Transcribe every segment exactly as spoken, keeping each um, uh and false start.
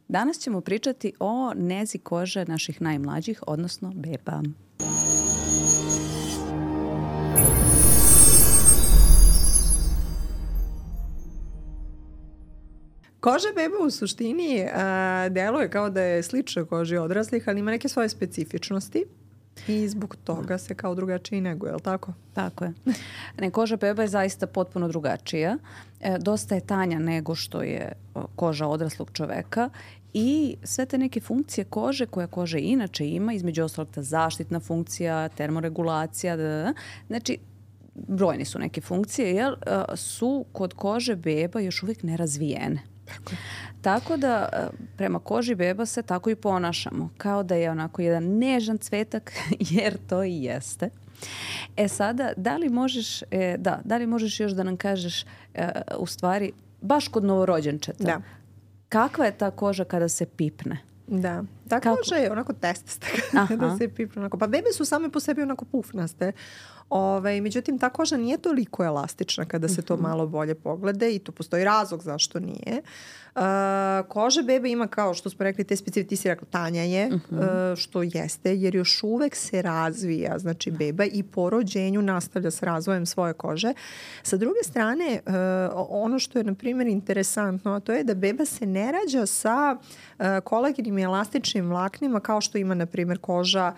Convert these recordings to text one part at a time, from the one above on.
Danas ćemo pričati o nezi kože naših najmlađih, odnosno beba. Koža beba u suštini a, deluje kao da je slična koži odraslih, ali ima neke svoje specifičnosti i zbog toga se kao drugačije neguje, je li tako? Tako je. Ne, koža beba je zaista potpuno drugačija. E, dosta je tanja nego što je koža odraslog čoveka i sve te neke funkcije kože koje koža inače ima, između ostalog ta zaštitna funkcija, termoregulacija, da, da, da. Znači, brojne su neke funkcije, jel, su kod kože beba još uvijek nerazvijene. Tako. Tako da prema koži beba se tako i ponašamo, kao da je onako jedan nežan cvetak, jer to i jeste. E sada, da li možeš, e, da, da li možeš još da nam kažeš e, u stvari, baš kod novorođenčeta, da. kakva je ta koža kada se pipne? Da, ta koža je onako testasta kada se pipne. Onako. Pa bebe su same po sebi onako pufnaste. Ove, međutim, ta koža nije toliko elastična kada se to malo bolje pogleda i tu postoji razlog zašto nije. Uh, koža bebe ima, kao što smo rekli, te specifičnosti, ti si rekla, tanja je, uh-huh. uh, što jeste, jer još uvek se razvija, znači beba i po rođenju nastavlja s razvojem svoje kože. Sa druge strane, uh, ono što je, na primjer, interesantno, a to je da beba se ne rađa sa uh, kolagenim i elastičnim vlaknima kao što ima, na primjer, koža,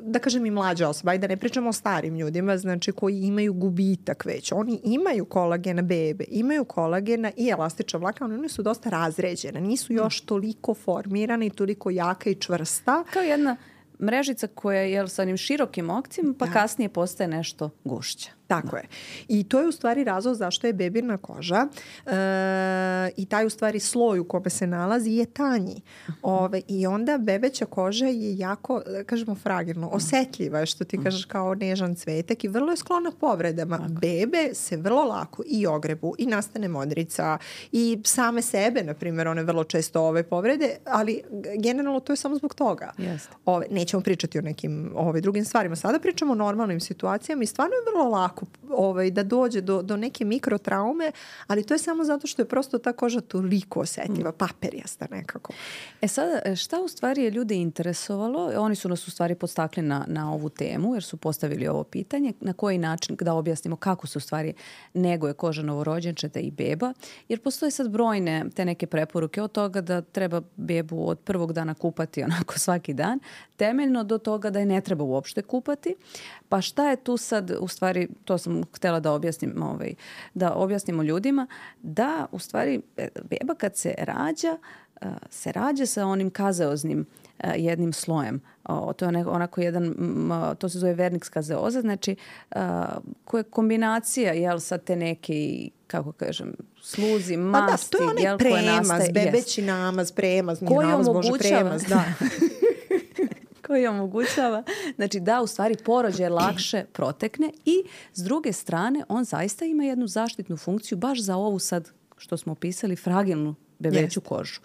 da kažem i mlađa osoba, i da ne pričamo o starim ljudima, znači koji imaju gubitak već. Oni imaju kolagena bebe, imaju kolagena i elastična vlakna, oni su dosta razređene, nisu još toliko formirane i toliko jaka i čvrsta. Kao jedna mrežica koja je sa onim širokim okcima, pa da. Kasnije postaje nešto gušća. Tako da. Je. I to je u stvari razlog zašto je bebina koža e, i taj u stvari sloj u kome se nalazi je tanji. Ove, I onda bebeća koža je jako, kažemo, fragilno, osetljiva je, što ti kažeš, kao nežan cvetak i vrlo je sklona povredama. Tako. Bebe se vrlo lako i ogrebu i nastane modrica i same sebe, na primjer, one vrlo često ove povrede, ali generalno to je samo zbog toga. Ove, nećemo pričati o nekim ove, drugim stvarima. Sada pričamo o normalnim situacijama i stvarno je vrlo lako ovaj, da dođe do, do neke mikrotraume, ali to je samo zato što je prosto ta koža toliko osetljiva, paperijasta nekako. E sada, šta u stvari je ljude interesovalo? Oni su nas u stvari podstakli na, na ovu temu, jer su postavili ovo pitanje, na koji način da objasnimo kako se u stvari neguje koža novorođenčeta i beba, jer postoje sad brojne te neke preporuke od toga da treba bebu od prvog dana kupati onako svaki dan, temeljno do toga da je ne treba uopšte kupati. Pa šta je tu sad u stvari, to sam htjela da objasnim, ovaj, da objasnimo ljudima, da u stvari beba kad se rađa, se rađa sa onim kazeoznim jednim slojem. O, to je onako jedan, to se zove vernix kazeoza, znači koja je kombinacija, jel, sad te neke, kako kažem, sluzi, masti. Pa da, to je onaj jel, premaz, bebeći namaz, premaz, nije namaz, bože, premaz, da. koji omogućava, znači da u stvari porođaj lakše protekne i s druge strane on zaista ima jednu zaštitnu funkciju baš za ovu sad što smo opisali fragilnu bebeću yes. kožu.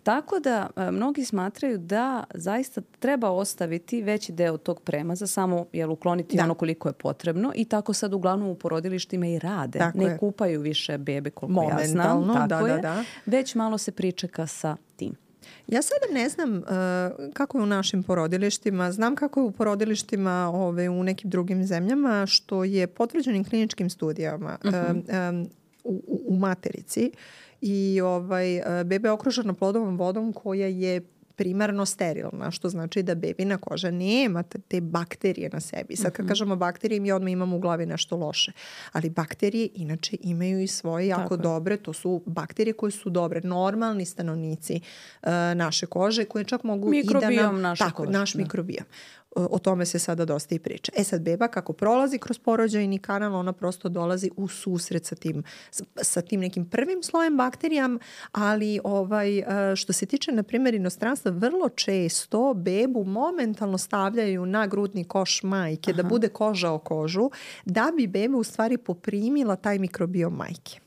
Tako da a, mnogi smatraju da zaista treba ostaviti veći deo tog premaza, samo jel, ukloniti da. Ono koliko je potrebno i tako sad uglavnom u porodilištima i rade. Tako ne je. Kupaju više bebe koliko ja znam. Tako da, je. Da, da. Već malo se pričeka sa tim. Ja sada ne znam uh, kako je u našim porodilištima, znam kako je u porodilištima ove, u nekim drugim zemljama, što je potvrđenim kliničkim studijama uh-huh. um, um, u, u materici i ovaj, bebe okružena plodovom vodom koja je primarno sterilna, što znači da bebina koža nema te bakterije na sebi. Sad kad kažemo bakterije, mi odmah imamo u glavi nešto loše. Ali bakterije inače imaju i svoje jako Tako dobre. To su bakterije koje su dobre. Normalni stanovnici uh, naše kože koje čak mogu mikrobijom i da nam... naše Tako, kože. naš da. mikrobijom. O tome se sada dosta i priča. E sad, beba kako prolazi kroz porođajni kanal, ona prosto dolazi u susret sa tim, sa tim nekim prvim slojem bakterijama, ali ovaj, što se tiče, na primjer, inostranstva, vrlo često bebu momentalno stavljaju na grudni koš majke, Aha. da bude koža o kožu, da bi beba u stvari poprimila taj mikrobiom majke.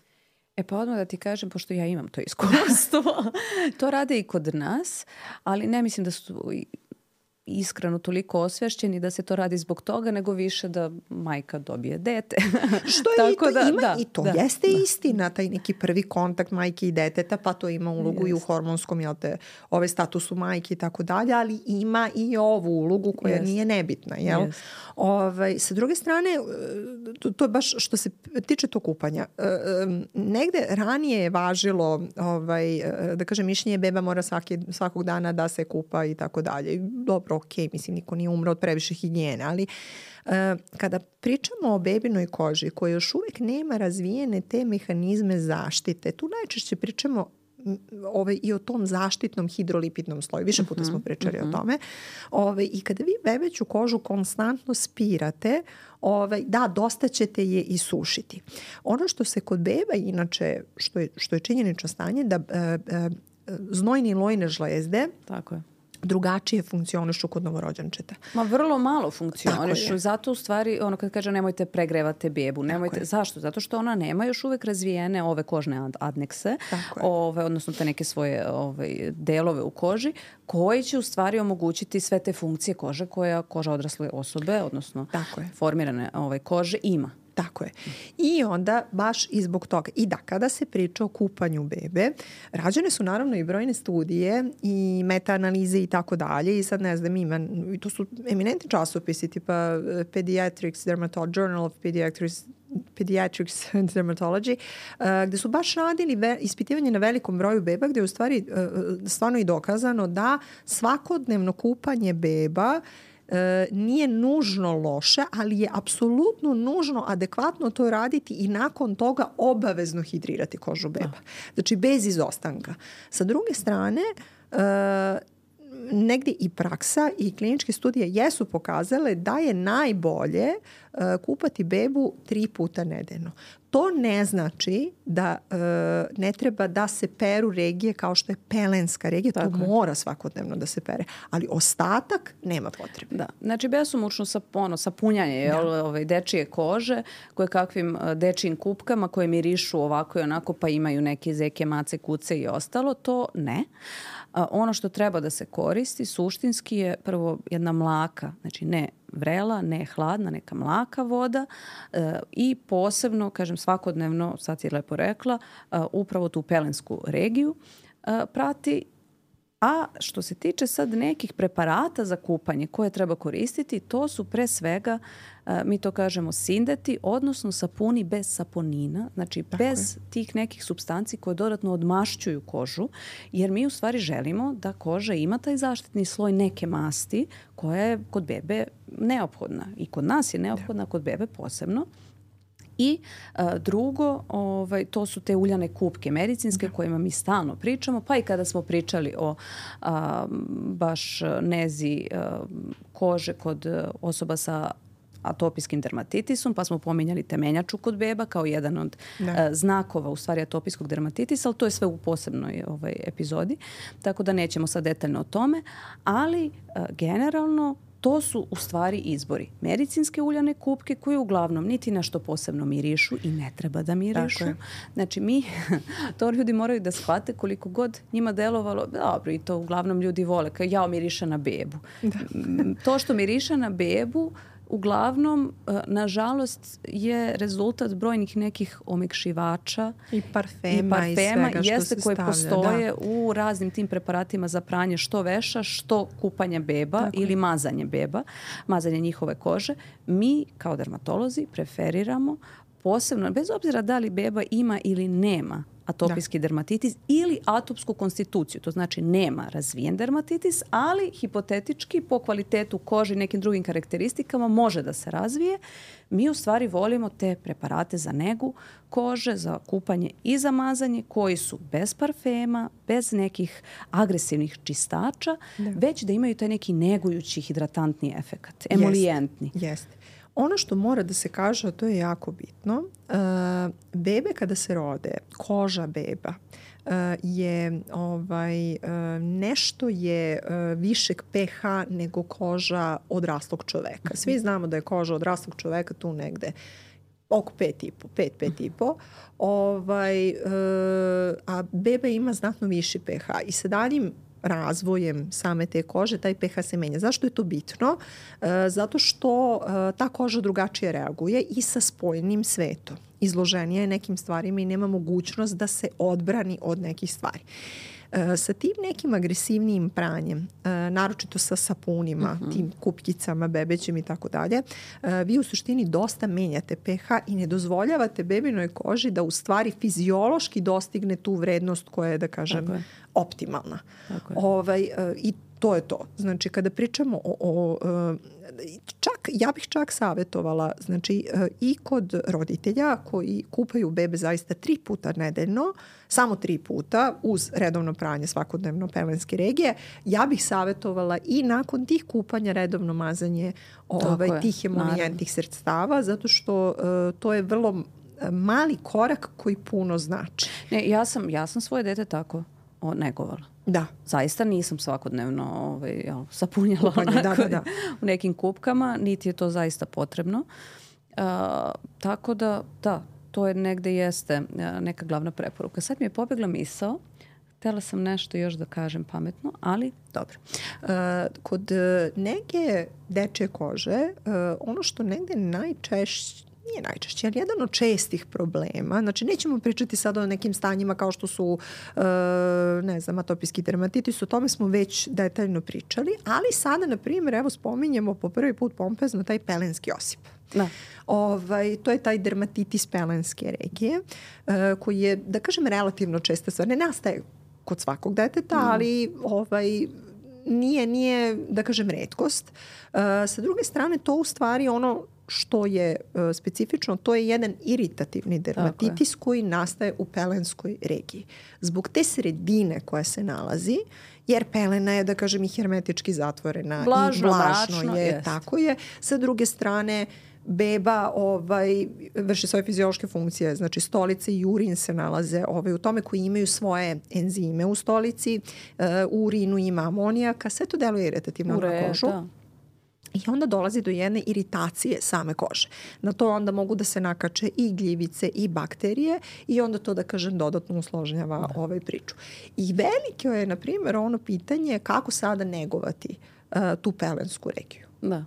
E pa odmah da ti kažem, pošto ja imam to iskustvo, to rade i kod nas, ali ne mislim da su... iskreno toliko osvešćeni da se to radi zbog toga, nego više da majka dobije dete. Što je Tako i to, da, ima da, i to. Da, jeste da. istina, taj neki prvi kontakt majke i deteta, pa to ima ulogu yes. i u hormonskom, jel te, ove statusu majke i tako dalje, ali ima i ovu ulogu koja yes. nije nebitna, jel? Yes. Ovaj, sa druge strane, to, to je baš što se tiče to kupanja. Negde ranije je važilo, ovaj, da kažem, mišljenje beba mora svaki, svakog dana da se kupa i tako dalje. Dobro, ok, mislim, niko nije umro od previše higijene, ali uh, kada pričamo o bebinoj koži koja još uvijek nema razvijene te mehanizme zaštite, tu najčešće pričamo Ove, i o tom zaštitnom hidrolipidnom sloju. Više puta smo pričali uh-huh. o tome. Ove, I kada vi bebeću kožu konstantno spirate, ove, da, dosta ćete je i sušiti. Ono što se kod beba inače, što je, što je činjenično stanje, da e, e, znojni i lojne žlezde Tako je. drugačije funkcionišu kod novorođenčeta. Ma vrlo malo funkcionišu. Zato u stvari, ono kad kaže nemojte pregrevate bebu. Nemojte, zašto? Zato što ona nema još uvek razvijene ove kožne adnekse, ove, odnosno te neke svoje ove, delove u koži, koji će u stvari omogućiti sve te funkcije kože koja koža odrasle osobe, odnosno formirane ove, kože ima. Tako je. I onda baš i zbog toga. I da, kada se priča o kupanju bebe, rađene su naravno i brojne studije i meta-analize i tako dalje. I sad ne znam, ima, to su eminentni časopisi tipa Pediatrics Dermatology, Journal of Pediatrics Pediatrics Dermatology, uh, gde su baš radili ve- ispitivanje na velikom broju beba, gde je u stvari uh, stvarno i dokazano da svakodnevno kupanje beba E, nije nužno loše, ali je apsolutno nužno adekvatno to raditi i nakon toga obavezno hidrirati kožu beba. Znači bez izostanka. Sa druge strane, e, negdje i praksa i kliničke studije jesu pokazale da je najbolje uh, kupati bebu tri puta nedeljno. To ne znači da uh, ne treba da se peru regije kao što je pelenska regija. Tako to je. Mora svakodnevno da se pere. Ali ostatak nema potrebe. Da. Znači besomučno sa, ono, sapunjanje jel, ove, dečije kože koje kakvim dečijim kupkama koje mirišu ovako i onako pa imaju neke zeke, mace, kuce i ostalo. To ne. A ono što treba da se koristi suštinski je prvo jedna mlaka, znači ne vrela, ne hladna, neka mlaka voda e, i posebno, kažem svakodnevno, sad si lepo rekla, e, upravo tu pelensku regiju e, prati. A što se tiče sad nekih preparata za kupanje koje treba koristiti, to su pre svega, mi to kažemo sindeti, odnosno sapuni bez saponina, znači Tako bez je. tih nekih supstanci koje dodatno odmašćuju kožu, jer mi u stvari želimo da koža ima taj zaštitni sloj neke masti koja je kod bebe neophodna. I kod nas je neophodna, kod bebe posebno. I a, drugo, ovaj, to su te uljane kupke medicinske da. kojima mi stalno pričamo, pa i kada smo pričali o a, baš nezi a, kože kod osoba sa atopijskim dermatitisom, pa smo pominjali temenjaču kod beba kao jedan od a, znakova u stvari atopijskog dermatitisa, ali to je sve u posebnoj ovaj, epizodi, tako da nećemo sad detaljno o tome, ali a, generalno to su u stvari izbori. Medicinske uljane kupke koje uglavnom niti nešto posebno mirišu i ne treba da mirišu. Znači mi, to ljudi moraju da shvate koliko god njima delovalo, dobro i to uglavnom ljudi vole, kao ja miriše na bebu. Da. To što miriše na bebu uglavnom, nažalost, je rezultat brojnih nekih omekšivača i parfema i, parfema, i svega što jeste se koje stavlja, postoje da. u raznim tim preparatima za pranje što veša, što kupanje beba Tako ili je. mazanje beba, mazanje njihove kože. Mi kao dermatolozi preferiramo posebno, bez obzira da li beba ima ili nema atopijski da. dermatitis ili atopsku konstituciju. To znači nema razvijen dermatitis, ali hipotetički po kvalitetu kože i nekim drugim karakteristikama može da se razvije. Mi u stvari volimo te preparate za negu kože, za kupanje i za mazanje koji su bez parfema, bez nekih agresivnih čistača, da. već da imaju taj neki negujući hidratantni efekat, emolijentni. Jeste, jeste. Ono što mora da se kaže, a to je jako bitno, uh, bebe kada se rode, koža beba uh, je ovaj, uh, nešto je uh, višeg pH nego koža odraslog čoveka. Svi znamo da je koža odraslog čoveka tu negde oko pet i po, pet, pet i po. Ovaj, uh, a beba ima znatno viši pH i sa daljim razvojem same te kože taj pH se menja. Zašto je to bitno? E, zato što e, ta koža drugačije reaguje i sa spoljnim svetom. Izloženija je nekim stvarima i nema mogućnost da se odbrani od nekih stvari. E, sa tim nekim agresivnijim pranjem, e, naročito sa sapunima, uh-huh. tim kupkicama, bebećim i tako dalje, e, vi u suštini dosta menjate pH i ne dozvoljavate bebinoj koži da u stvari fiziološki dostigne tu vrednost koja je, da kažem, je. optimalna. Ovaj, e, I to je to. Znači, kada pričamo o, o čak, ja bih čak savjetovala, znači, i kod roditelja koji kupaju bebe zaista tri puta nedeljno, samo tri puta uz redovno pranje svakodnevno pelenske regije, ja bih savjetovala i nakon tih kupanja redovno mazanje ovaj, tih emolijentih sredstava, zato što uh, to je vrlo mali korak koji puno znači. Ne, ja sam, ja sam svoje dete tako negovala. Da. Zaista nisam svakodnevno ovaj, jel, sapunjala Kupanje, da, da, da. u nekim kupkama, niti je to zaista potrebno. Uh, tako da, da, to je negde jeste uh, neka glavna preporuka. Sad mi je pobegla misao, htjela sam nešto još da kažem pametno, ali dobro. Uh, kod nege dečje kože, uh, ono što negde najčešće nije najčešće, ali jedan od čestih problema, znači nećemo pričati sada o nekim stanjima kao što su, uh, ne znam, atopijski dermatitis, o tome smo već detaljno pričali, ali sada, na primjer, evo spominjemo po prvi put pompezno taj pelenski osip. Da. Ovaj, to je taj dermatitis pelenske regije, uh, koji je, da kažem, relativno česta stvar. Ne nastaje kod svakog deteta, mm. ali ovaj, nije, nije, da kažem, retkost. Uh, sa druge strane, to u stvari ono što je uh, specifično, to je jedan iritativni dermatitis koji nastaje u pelenskoj regiji. Zbog te sredine koja se nalazi, jer pelena je, da kažem, i hermetički zatvorena Vlažno, i vlažno mračno, je, jest. tako je. Sa druge strane, beba ovaj, vrši svoje fiziološke funkcije, znači stolice i urin se nalaze ovaj, u tome, koji imaju svoje enzime u stolici, uh, u urinu ima amonijaka, sve to deluje iritativno na kožu. Da. I onda dolazi do jedne iritacije same kože. Na to onda mogu da se nakače i gljivice i bakterije i onda to, da kažem, dodatno usložnjava da. ovaj priču. I veliko je, na primjer, ono pitanje kako sada negovati uh, tu pelensku regiju. Da.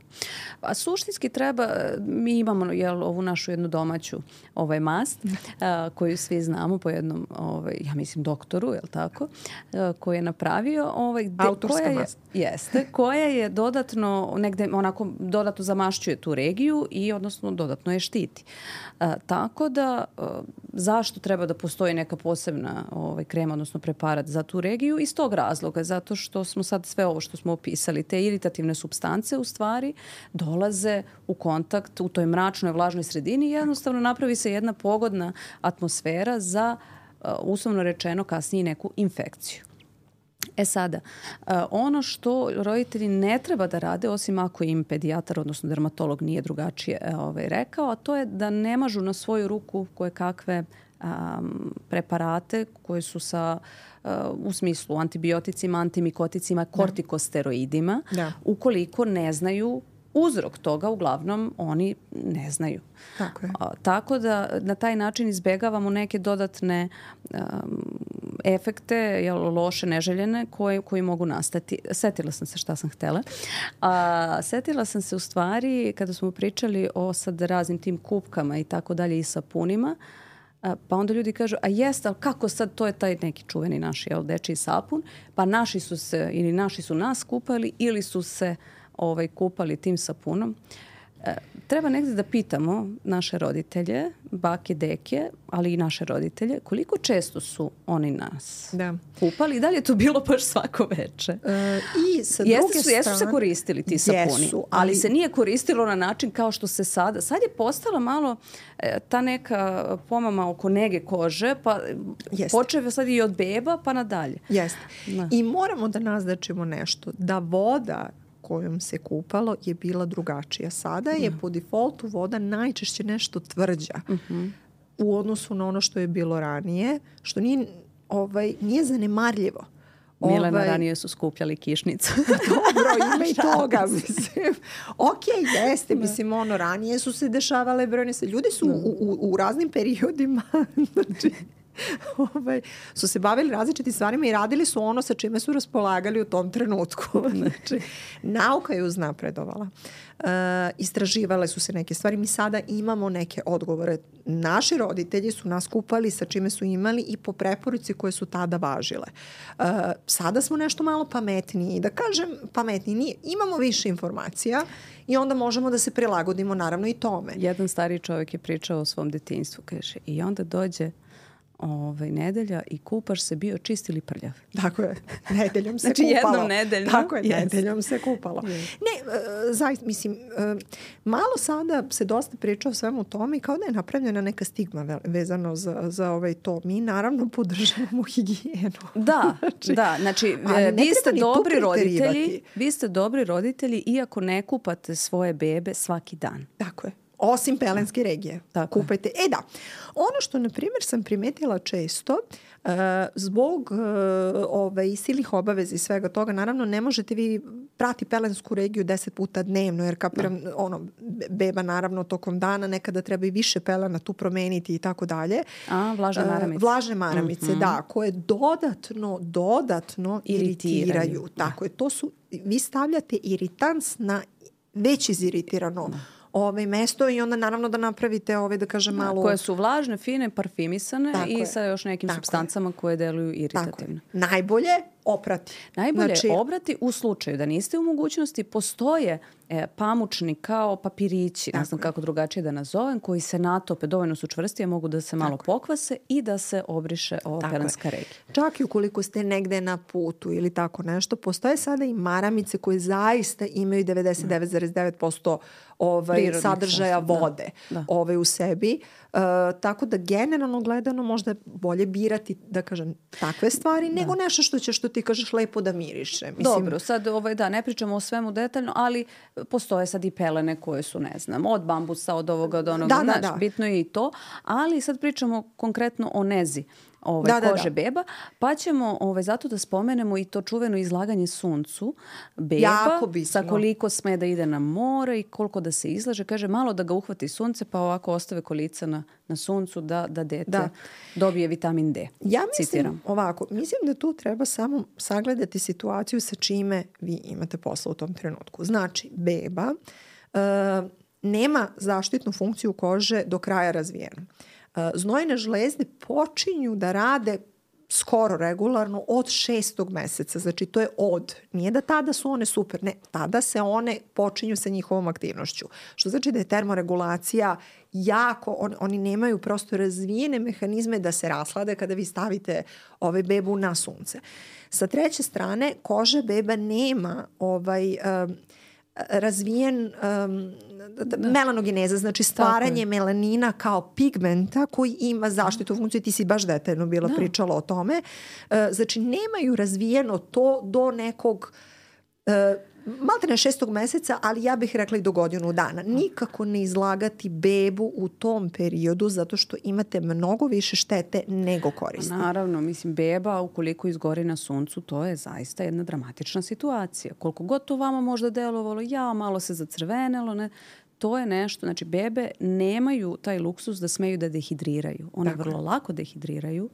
A suštinski treba, mi imamo jel, ovu našu jednu domaću ovaj mast a, koju svi znamo po jednom, ovaj, ja mislim, doktoru, jel tako, a, koji je napravio. Ovaj, de, Autorska koja je, mast. Jeste, koja je dodatno, negde onako dodatno zamašćuje tu regiju i odnosno dodatno je štiti. A, tako da, a, zašto treba da postoji neka posebna ovaj, krema, odnosno preparat za tu regiju? Iz tog razloga, zato što smo sad sve ovo što smo opisali, te iritativne supstance u stvari dolaze u kontakt u toj mračnoj, vlažnoj sredini i jednostavno napravi se jedna pogodna atmosfera za, uh, uslovno rečeno, kasnije neku infekciju. E sada, uh, ono što roditelji ne treba da rade, osim ako im pedijatar, odnosno dermatolog nije drugačije ovaj, rekao, a to je da ne mažu na svoju ruku koje kakve um, preparate koje su sa uh, u smislu antibioticima, antimikoticima, kortikosteroidima, da. Ukoliko ne znaju uzrok toga, uglavnom oni ne znaju. Tako je. A, tako da na taj način izbegavamo neke dodatne um, efekte, jel, loše, neželjene, koje, koji mogu nastati. Setila sam se šta sam htela. A, setila sam se u stvari, kada smo pričali o sad raznim tim kupkama i tako dalje i sapunima, a, pa onda ljudi kažu, a jeste, ali kako sad, to je taj neki čuveni naš, jel, dečiji sapun, pa naši su se, ili naši su nas kupali, ili su se ovaj, kupali tim sapunom. E, treba negdje da pitamo naše roditelje, bake, deke, ali i naše roditelje, koliko često su oni nas da. kupali i da li je to bilo baš svako veče? E, i sa jeste druge su, jesu se koristili ti sapuni, jesu, ali... ali se nije koristilo na način kao što se sada. Sad je postala malo e, ta neka pomama oko nege kože, pa počeo sad i od beba pa nadalje. Jeste. Da. I moramo da naznačimo nešto, da voda kojom se kupalo je bila drugačija. Sada je mm. po defaultu voda najčešće nešto tvrđa mm-hmm. u odnosu na ono što je bilo ranije, što nije, ovaj, nije zanemarljivo. Milena, ovaj... ranije su skupljali kišnicu. Dobro, ima i toga, mislim. Ok, jeste, mislim, ono, ranije su se dešavale brojne se. Ljudi su u, u, u raznim periodima, znači, ovaj, su se bavili različitim stvarima i radili su ono sa čime su raspolagali u tom trenutku. Znači, nauka je uznapredovala. Uh, istraživale su se neke stvari. Mi sada imamo neke odgovore. Naši roditelji su nas kupali sa čime su imali i po preporuci koje su tada važile. Uh, sada smo nešto malo pametniji. Da kažem pametniji nije. Imamo više informacija i onda možemo da se prilagodimo naravno i tome. Jedan stariji čovjek je pričao o svom detinjstvu, kaže, i onda dođe ovaj, nedelja i kupaš se, bio čist ili prljav. Tako je, nedeljom se znači, kupalo. Znači jednom nedeljom. Tako je, yes. nedeljom se kupalo. Yes. Ne, uh, zaista, mislim, uh, malo sada se dosta priča o svemu tome i kao da je napravljena neka stigma vezano za, za ovaj to. Mi naravno podržavamo higijenu. Da, znači, da, znači vi ste dobri roditelji, vi ste dobri roditelji iako ne kupate svoje bebe svaki dan. Tako je. Osim pelenske regije. Tako. Kupajte. E da, ono što, na primjer, sam primetila često, uh, zbog uh, ovaj, silnih obaveza i svega toga, naravno, ne možete vi prati pelensku regiju deset puta dnevno, jer kapiram, da. ono, beba, naravno, tokom dana, nekada treba i više pelena tu promeniti i tako dalje. A, vlažne maramice. Uh, vlažne maramice, mm-hmm. da, koje dodatno, dodatno iritiraju. iritiraju. Tako je, to su, vi stavljate iritans na već iziritirano da. Ove mesto i onda naravno da napravite ove, da kažem, malo... Koje su vlažne, fine, parfimisane tako i je. Sa još nekim tako supstancama je. Koje deluju iritativno. Najbolje oprati. Najbolje znači, obrati u slučaju da niste u mogućnosti, postoje e, pamučni kao papirići, ne znam kako drugačije da nazovem, koji se natope, dovoljno su čvrsti, mogu da se malo tako pokvase i da se obriše ova pelenska regija. Čak i ukoliko ste negde na putu ili tako nešto, postoje sada i maramice koje zaista imaju devedeset devet zarez devet posto ovaj, sadržaja sasvim, vode da, da. Ovaj, u sebi. Uh, tako da generalno gledano možda je bolje birati, da kažem, takve stvari, da. Nego nešto što će, što ti kažeš, lepo da miriše. Mislim, dobro, sad ovaj, da, ne pričamo o svemu detaljno, ali postoje sad i pelene koje su, ne znam, od bambusa, od ovoga, od onoga, da, znaš, da, da. bitno je i to, ali sad pričamo konkretno o nezi. Ovaj, da, kože da, da. Beba, pa ćemo ovaj, zato da spomenemo i to čuveno izlaganje suncu beba, sa koliko sme da ide na more i koliko da se izlaže. Kaže, malo da ga uhvati sunce, pa ovako ostave kolica na, na suncu da, da dete da. Dobije vitamin D. Ja mislim Citiram. ovako, mislim da tu treba samo sagledati situaciju sa čime vi imate posla u tom trenutku. Znači, beba uh, nema zaštitnu funkciju kože do kraja razvijenu. Znojne žlezde počinju da rade skoro regularno od šestog meseca. Znači to je od. Nije da tada su one super. Ne, tada se one počinju sa njihovom aktivnošću. Što znači da je termoregulacija jako, on, oni nemaju prosto razvijene mehanizme da se raslade kada vi stavite ovaj bebu na sunce. Sa treće strane, koža beba nema ovaj... Um, razvijen um, da. melanogeneza, znači stvaranje melanina kao pigmenta koji ima zaštitu funkciju. Ti si baš detaljno bila da. Pričala o tome. Uh, znači nemaju razvijeno to do nekog uh, malte ne šestog meseca, ali ja bih rekla i do godinu dana. Nikako ne izlagati bebu u tom periodu zato što imate mnogo više štete nego koristi. Naravno, mislim, beba ukoliko izgori na suncu, to je zaista jedna dramatična situacija. Koliko god to vama možda delovalo, ja, malo se zacrvenelo, ne, to je nešto, znači bebe nemaju taj luksus da smeju da dehidriraju. One Tako. Vrlo lako dehidriraju,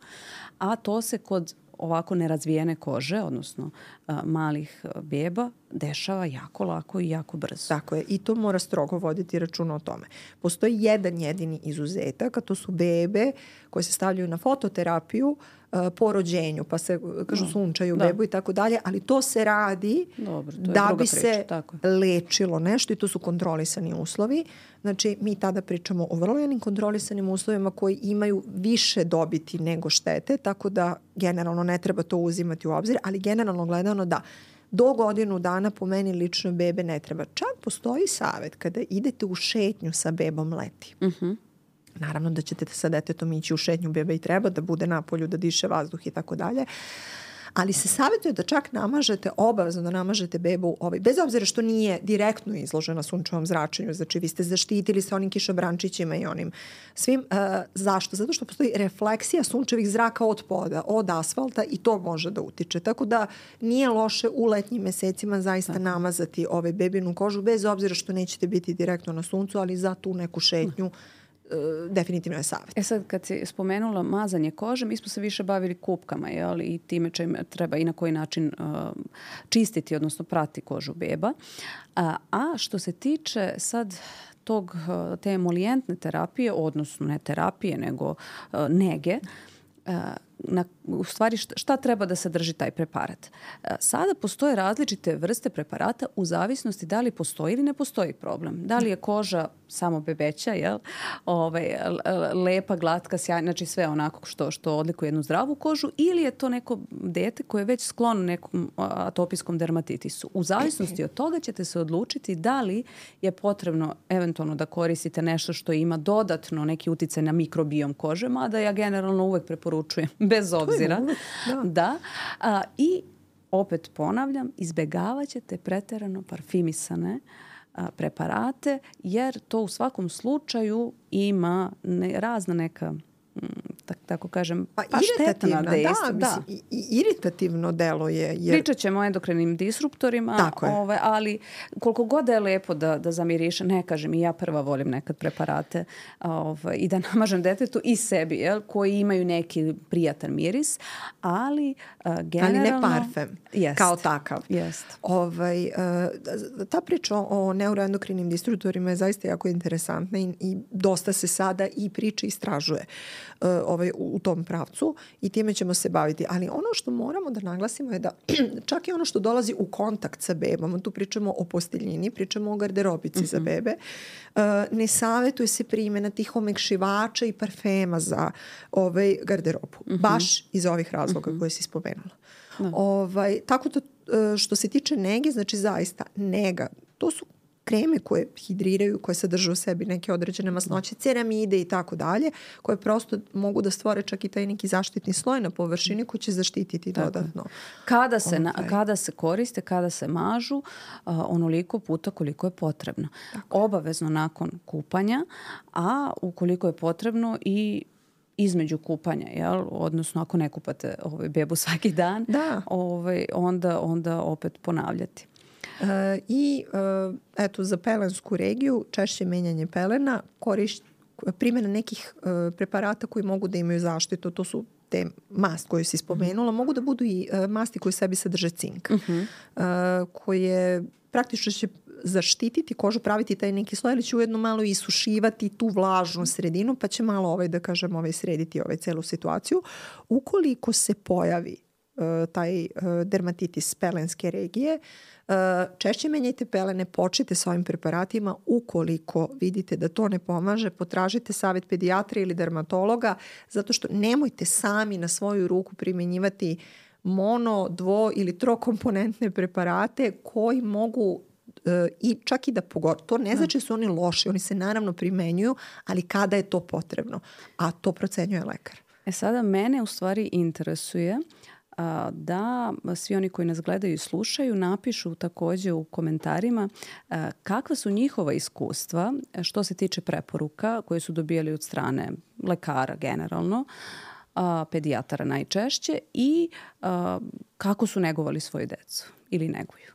a to se kod ovako nerazvijene kože, odnosno a, malih a, beba, dešava jako lako i jako brzo. Tako je. I to mora strogo voditi računa o tome. Postoji jedan jedini izuzetak, a to su bebe koje se stavljaju na fototerapiju a, po rođenju, pa se, kažu, sunčaju da. Bebu i tako dalje, ali to se radi Dobro, to da bi priča. Se tako. Lečilo nešto i to su kontrolisani uslovi. Znači, mi tada pričamo o vrlo jednim kontrolisanim uslovima koji imaju više dobiti nego štete, tako da generalno ne treba to uzimati u obzir, ali generalno gledano da do godinu dana po meni lično bebe ne treba. Čak postoji savjet kada idete u šetnju sa bebom leti. Uh-huh. Naravno da ćete sa detetom ići u šetnju, beba i treba da bude na polju, da diše vazduh i tako dalje. Ali se savjetuje da čak namažete, obavezno da namažete bebu, ovaj, bez obzira što nije direktno izložena sunčevom zračenju, znači vi ste zaštitili sa onim kišobrančićima i onim svim. Uh, zašto? Zato što postoji refleksija sunčevih zraka od poda, od asfalta i to može da utiče. Tako da nije loše u letnjim mesecima zaista Tako. Namazati ovaj bebinu kožu, bez obzira što nećete biti direktno na suncu, ali za tu neku šetnju definitivno je savjet. E sad, kad si spomenula mazanje kože, mi smo se više bavili kupkama, jel? I time čime treba i na koji način uh, čistiti, odnosno prati kožu beba. A, a što se tiče sad tog, te emolijentne terapije, odnosno ne terapije, nego uh, nege, uh, na, u stvari šta, šta treba da sadrži taj preparat. Sada postoje različite vrste preparata u zavisnosti da li postoji ili ne postoji problem. Da li je koža samo bebeća, jel? Ovaj, lepa, glatka, sjajna, znači sve onako što, što odlikuje jednu zdravu kožu, ili je to neko dete koje je već sklono nekom atopijskom dermatitisu. U zavisnosti od toga ćete se odlučiti da li je potrebno eventualno da koristite nešto što ima dodatno neki uticaj na mikrobiom kože, mada ja generalno uvek preporučujem bez obzira. Da. da. A, I opet ponavljam, izbegavat ćete preterano parfimisane a, preparate, jer to u svakom slučaju ima ne, razna neka, m, tak, tako kažem, pa, pa štetna dejstva. Da, da. Mislim, i, iritativno delo je. Jer... Pričat ćemo o endokrinim disruptorima, ove, ali koliko god je lepo da, da zamiriše, ne kažem, i ja prva volim nekad preparate ove, i da namažem detetu i sebi, jel, koji imaju neki prijatan miris, ali uh, generalno... Ali ne parfem, jest, kao takav. Jest. Ovaj, uh, ta priča o neuroendokrinim disruptorima je zaista jako interesantna i, i dosta se sada i priča istražuje uh, ovaj, u, u tom pravcu i time ćemo se baviti. Ali ono što moramo da naglasimo je da čak i ono što dolazi u kontakt sa bebom, tu pričamo o posteljini, pričamo o garderobici mm-hmm. za bebe, uh, ne savjetuje se primjena tih omekšivača i parfema za ovaj garderobu. Mm-hmm. Baš iz ovih razloga mm-hmm. koje si spomenula. No. Ovaj, tako da što se tiče nege, znači zaista nega, to su kreme koje hidriraju, koje sadrže u sebi neke određene masnoće, ceramide i tako dalje, koje prosto mogu da stvore čak i taj neki zaštitni sloj na površini koji će zaštititi tako dodatno. Kada se, na, kada se koriste, kada se mažu, uh, onoliko puta koliko je potrebno. Tako. Obavezno nakon kupanja, a ukoliko je potrebno i između kupanja, jel? Odnosno ako ne kupate ovaj, bebu svaki dan, ovaj, onda, onda opet ponavljati. Uh, I uh, eto, za pelensku regiju češće menjanje pelena, korišt, primjena nekih uh, preparata koji mogu da imaju zaštitu, to su te mast koju si spomenula, mm-hmm. mogu da budu i uh, masti koje sebi sadrže cink, mm-hmm. uh, koje praktično će zaštititi kožu, praviti taj neki sloj, ali će ujedno malo isušivati tu vlažnu sredinu, pa će malo ovaj, da kažem, ovaj, srediti ovaj celu situaciju. Ukoliko se pojavi uh, taj uh, dermatitis pelenske regije, uh, češće menjajte pelene, počnite s ovim preparatima. Ukoliko vidite da to ne pomaže, potražite savjet pedijatra ili dermatologa, zato što nemojte sami na svoju ruku primjenjivati mono, dvo ili trokomponentne preparate koji mogu i čak i da pogotovo, to ne znači da su oni loši, oni se naravno primenjuju, ali kada je to potrebno, a to procenjuje lekar. E sada mene u stvari interesuje a, da svi oni koji nas gledaju i slušaju napišu također u komentarima a, kakva su njihova iskustva što se tiče preporuka koje su dobijali od strane lekara generalno, a, pedijatara najčešće i a, kako su negovali svoju decu ili neguju.